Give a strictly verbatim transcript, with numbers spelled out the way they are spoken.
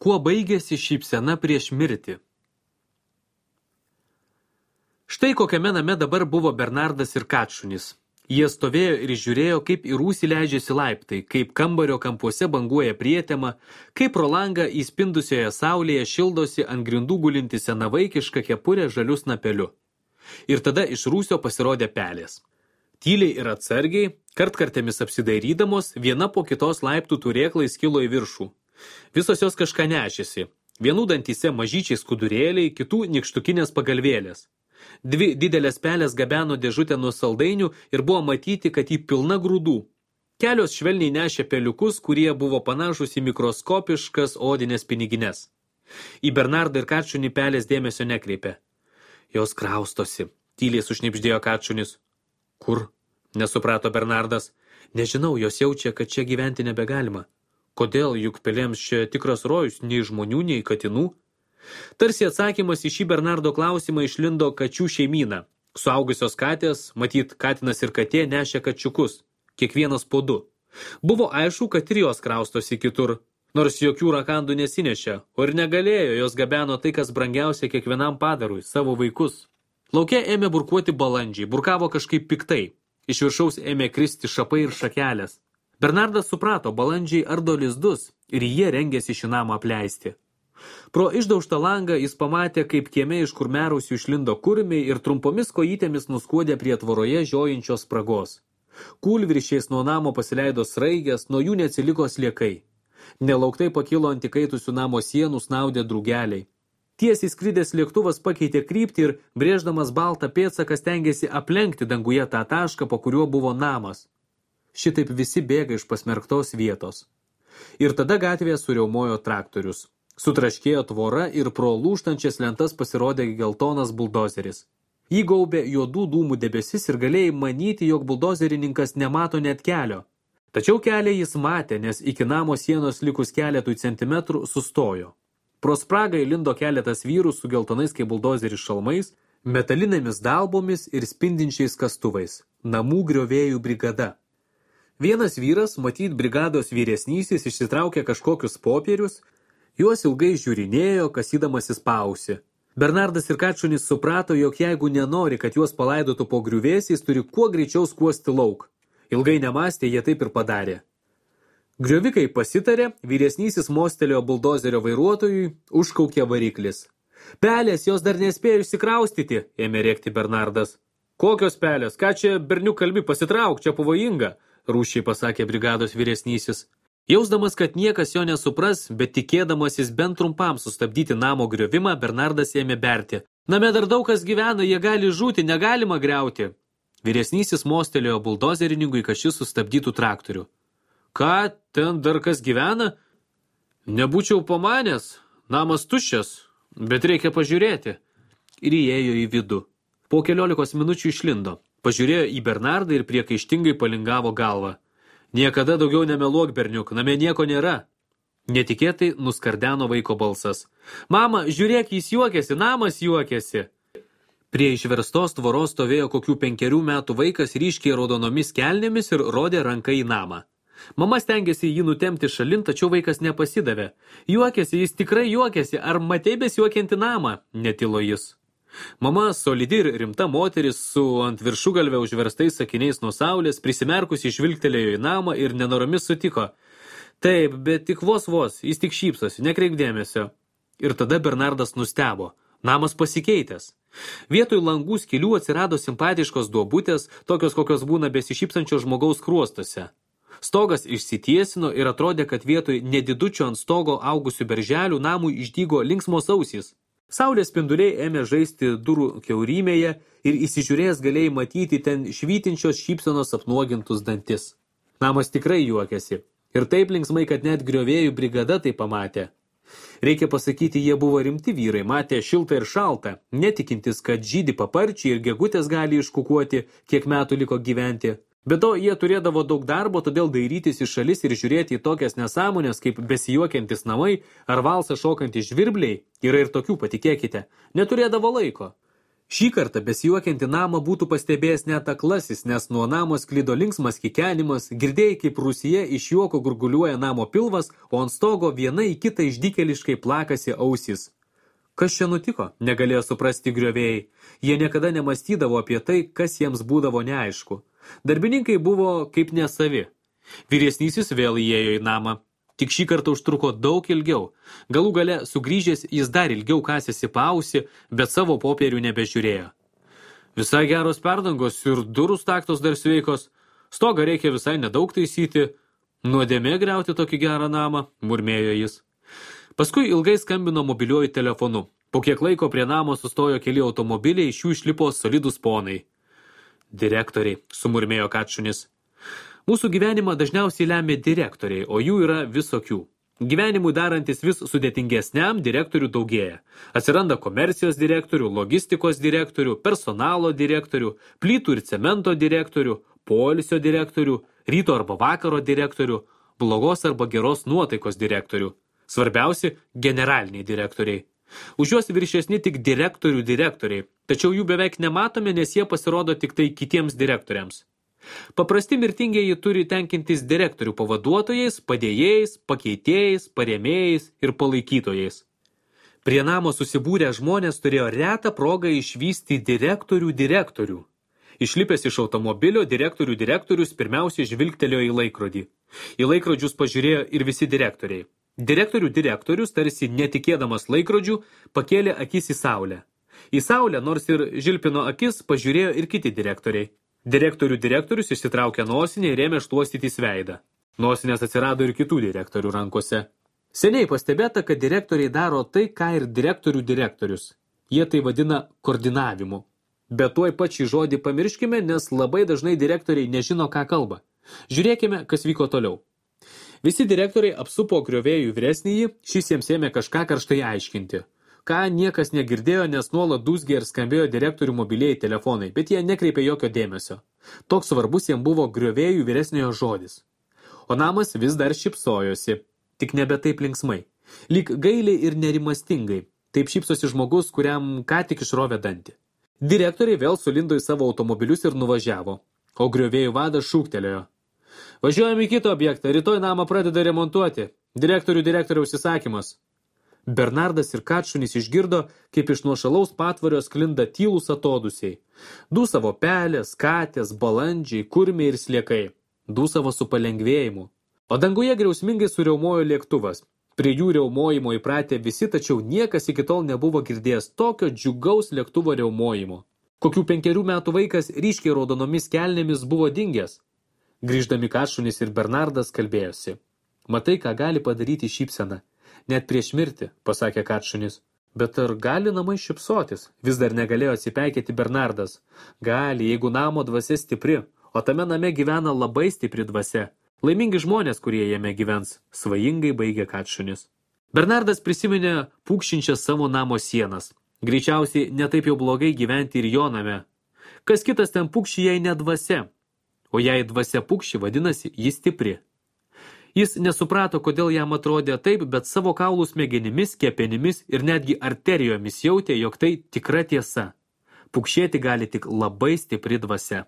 Kuo baigėsi šypsena prieš mirtį? Štai kokiame name dabar buvo Bernardas ir Kačunis. Jie stovėjo ir žiūrėjo, kaip į rūsį leidžiasi laiptai, kaip kambario kampuose banguoja prietema, kaip pro langą įspindusioje saulėje šildosi ant grindų gulinti senavaikiška kepurė žaliu snapeliu. Ir tada iš rūsio pasirodė pelės. Tyliai ir atsargiai, kartkartėmis apsidairydamos, viena po kitos laiptų turėklai skilo į viršų. Visos jos kažką nešėsi. Vienų dantyse mažyčiai skudurėliai, kitų nykštukinės pagalvėlės. Dvi didelės pelės gabeno dėžutę nuo saldainių ir buvo matyti, kad jį pilna grūdų. Kelios švelniai nešė peliukus, kurie buvo panašus į mikroskopiškas odinės pinigines. Į Bernardą ir Kačunį pelės dėmesio nekreipė. Jos kraustosi, tyliai sušnibždėjo Kačunis. Kur? Nesuprato Bernardas. Nežinau, jos jaučia, kad čia gyventi nebegalima. Kodėl, juk pelėms čia tikras rojus, nei žmonių, nei katinų? Tarsi atsakymas į šį Bernardo klausimą išlindo kačių šeimyną. Suaugusios katės, matyt, katinas ir katė nešė kačiukus, kiekvienas po du. Buvo aišku, kad ir jos kraustosi kitur, nors jokių rakandų nesinešė, o ir negalėjo, jos gabeno tai, kas brangiausia kiekvienam padarui, savo vaikus. Lauke ėmė burkuoti balandžiai, burkavo kažkaip piktai. Iš viršaus ėmė kristi šapai ir šakelės. Bernardas suprato, balandžiai ardo lizdus ir jie rengėsi šį namą apleisti. Pro išdaužtą langą jis pamatė, kaip kieme iš kurmiarausių išlindo kurmiai ir trumpomis kojytėmis nuskuodė prie tvoroje žiojinčios spragos. Kūlviršiais nuo namo pasileido sraigės, nuo jų neatsiliko sliekai. Nelauktai pakilo ant įkaitusių namo sienų snaudė drugeliai. Tiesiai skridęs lėktuvas pakeitė kryptį ir, brėždamas baltą pėdsaką, stengėsi aplenkti danguje tą tašką, po kuriuo buvo namas. Šitaip visi bėga iš pasmerktos vietos. Ir tada gatvėje suriaumojo traktorius. Sutraškėjo tvora ir pro lūžtančias lentas pasirodė geltonas buldozeris. Jį gaubė juodų dūmų debesis ir galėjai manyti, jog buldozerininkas nemato net kelio. Tačiau kelią jis matė, nes iki namo sienos likus keletui centimetrų sustojo. Pro spragą įlindo keletas vyrų su geltonais kaip buldozeris šalmais, metalinėmis dalbomis ir spindinčiais kastuvais. Namų griovėjų brigada. Vienas vyras, matyt brigados vyresnysis, išsitraukė kažkokius popierius, juos ilgai žiūrinėjo, kasydamasis paausi. Bernardas ir Kačunis suprato, jog jeigu nenori, kad juos palaidotų po griuvėsiais, turi kuo greičiau skuosti lauk. Ilgai nemąstė, jie taip ir padarė. Griovikai pasitarė, vyresnysis mostelėjo buldozerio vairuotojui, užkaukė variklis. Pelės, jos dar nespėjo išsikraustyti, ėmė rėkti Bernardas. Kokios pelės? Ką čia berniuk kalbi, pasitrauk, čia pavojinga, rūsčiai pasakė brigados vyresnysis. Jausdamas, kad niekas jo nesupras, bet tikėdamasis bent trumpam sustabdyti namo griovimą, Bernardas ėmė berti. Name dar daug kas gyvena, jie gali žūti, negalima griauti. Vyresnysis mostelėjo buldozerininkui, kad šis sustabdytų traktorių. Ką, ten dar kas gyvena? Nebūčiau pamanęs, namas tuščias, bet reikia pažiūrėti. Ir įėjo į vidų. Po keliolikos minučių išlindo. Pažiūrėjo į Bernardą ir priekaištingai palingavo galvą. Niekada daugiau nemeluok, berniuk, name nieko nėra. Netikėtai nuskardeno vaiko balsas. Mama, žiūrėk, jis juokėsi, namas juokėsi. Prie išverstos tvoros stovėjo kokių penkerių metų vaikas ryškiai raudonomis kelnėmis ir rodė ranką į namą. Mama stengėsi jį nutemti šalin, tačiau vaikas nepasidavė. Juokėsi, jis tikrai juokėsi, ar matei besijuokiantį namą? Netilo jis. Mama, solidi ir rimta moteris, su ant viršugalvę užverstais sakiniais nuo saulės, prisimerkusi žvilgtelėjo į namą ir nenoromis sutiko. Taip, bet tik vos vos, jis tik šypsosi, nekreip dėmesio. Ir tada Bernardas nustebo. Namas pasikeitęs. Vietoj langų skylių atsirado simpatiškos duobutės, tokios kokios būna besišypsančio žmogaus kruostuose. Stogas išsitiesino ir atrodė, kad vietoj nedidučio ant stogo augusių berželių namui išdygo linksmos ausys. Saulės spinduliai ėmė žaisti durų kiaurymėje ir įsižiūrėjęs galėjai matyti ten švytinčios šypsenos apnuogintus dantis. Namas tikrai juokėsi. Ir taip linksmai, kad net griovėjų brigada tai pamatė. Reikia pasakyti, jie buvo rimti vyrai, matė šiltą ir šaltą, netikintis, kad žydi paparčiai ir gegutės gali iškukuoti, kiek metų liko gyventi. Be to, jie turėdavo daug darbo, todėl dairytis į šalis ir žiūrėti į tokias nesąmonės, kaip besijuokiantis namai ar valsą šokantys žvirbliai, yra ir tokių, patikėkite, neturėdavo laiko. Šį kartą besijuokianti namą būtų pastebėjęs net aklasis, nes nuo namo sklido linksmas kikenimas, girdėjai, kaip rūsyje iš juoko gurguliuoja namo pilvas, o ant stogo viena į kitą išdykeliškai plakasi ausys. Kas čia nutiko? Negalėjo suprasti griovėjai. Jie niekada nemastydavo apie tai, kas jiems būdavo neaišku. Darbininkai buvo kaip nesavi. Vyresnysis vėl įėjo į namą. Tik šį kartą užtruko daug ilgiau. Galų gale sugrįžęs jis dar ilgiau kasėsi paausi, bet savo popierių nebežiūrėjo. Visai geros perdangos ir durų staktos dar sveikos. Stogą reikia visai nedaug taisyti. Nuodėmė griauti tokį gerą namą, murmėjo jis. Paskui ilgai skambino mobiliuoju telefonu. Po kiek laiko prie namo sustojo keli automobiliai, iš jų išlipo solidūs ponai. Direktoriai, sumurmėjo Kačunis. Mūsų gyvenimą dažniausiai lemia direktoriai, o jų yra visokių. Gyvenimui darantis vis sudėtingesniam direktorių daugėja. Atsiranda komercijos direktorių, logistikos direktorių, personalo direktorių, plytų ir cemento direktorių, poilsio direktorių, ryto arba vakaro direktorių, blogos arba geros nuotaikos direktorių. Svarbiausi – generaliniai direktoriai. Už juos viršesni tik direktorių direktoriai, tačiau jų beveik nematome, nes jie pasirodo tik tai kitiems direktoriams. Paprasti mirtingieji turi tenkintis direktorių pavaduotojais, padėjėjais, pakeitėjais, parėmėjais ir palaikytojais. Prie namo susibūrę žmonės turėjo retą progą išvysti direktorių direktorių. Išlipęs iš automobilio, direktorių direktorius pirmiausiai žvilgtelėjo į laikrodį. Į laikrodžius pažiūrėjo ir visi direktoriai. Direktorių direktorius, tarsi netikėdamas laikrodžių, pakėlė akis į saulę. Į saulę, nors ir žilpino akis, pažiūrėjo ir kiti direktoriai. Direktorių direktorius išsitraukė nosinę ir ėmė šluostytis veidą. Nosinės atsirado ir kitų direktorių rankose. Seniai pastebėta, kad direktoriai daro tai, ką ir direktorių direktorius. Jie tai vadina koordinavimu. Bet tuoj pat šį žodį pamirškime, nes labai dažnai direktoriai nežino, ką kalba. Žiūrėkime, kas vyko toliau. Visi direktoriai apsupo griovėjų vyresnįjį, šis jiems ėmė kažką karštai aiškinti. Ką niekas negirdėjo, nes nuolat dūzgė ir skambėjo direktorių mobilieji telefonai, bet jie nekreipė jokio dėmesio. Toks svarbus jiems buvo griovėjų vyresniojo žodis. O namas vis dar šypsojosi, tik nebe taip linksmai. Lyg gailiai ir nerimastingai, taip šypsosi žmogus, kuriam ką tik išrovė dantį. Direktoriai vėl sulindo į savo automobilius ir nuvažiavo, o griovėjų vadas šūktelėjo. Važiuojame į kitą objektą, rytoj namą pradeda remontuoti. Direktorių direktoriaus įsakymas. Bernardas ir Kačunis išgirdo, kaip iš nuošalaus patvario sklinda tylūs atodusiai. Dūsavo pelės, katės, balandžiai, kurmiai ir sliekai. Dūsavo su palengvėjimu. O danguje griausmingai suriaumojo lėktuvas. Prie jų riaumojimo įpratę visi, tačiau niekas iki tol nebuvo girdėjęs tokio džiugaus lėktuvo riaumojimo. Kokių penkerių metų vaikas ryškiai raudonomis kelnėmis buvo dingęs. Grįždami Kačunis ir Bernardas kalbėjosi. Matai, ką gali padaryti šypsena. Net prieš mirtį, pasakė Kačunis. Bet ar gali namai šypsotis? Vis dar negalėjo atsipeikėti Bernardas. Gali, jeigu namo dvasia stipri, o tame name gyvena labai stipri dvasia. Laimingi žmonės, kurie jame gyvens, svajingai baigė Kačunis. Bernardas prisiminė pūkšinčias savo namo sienas. Greičiausiai netaip jau blogai gyventi ir jo name. Kas kitas ten pūkši, jei ne dvasia? O jei dvasia pūkši, vadinasi, jis stipri. Jis nesuprato, kodėl jam atrodė taip, bet savo kaulų smegenimis, kepenimis ir netgi arterijomis jautė, jog tai tikra tiesa. Pukšėti gali tik labai stipri dvasia.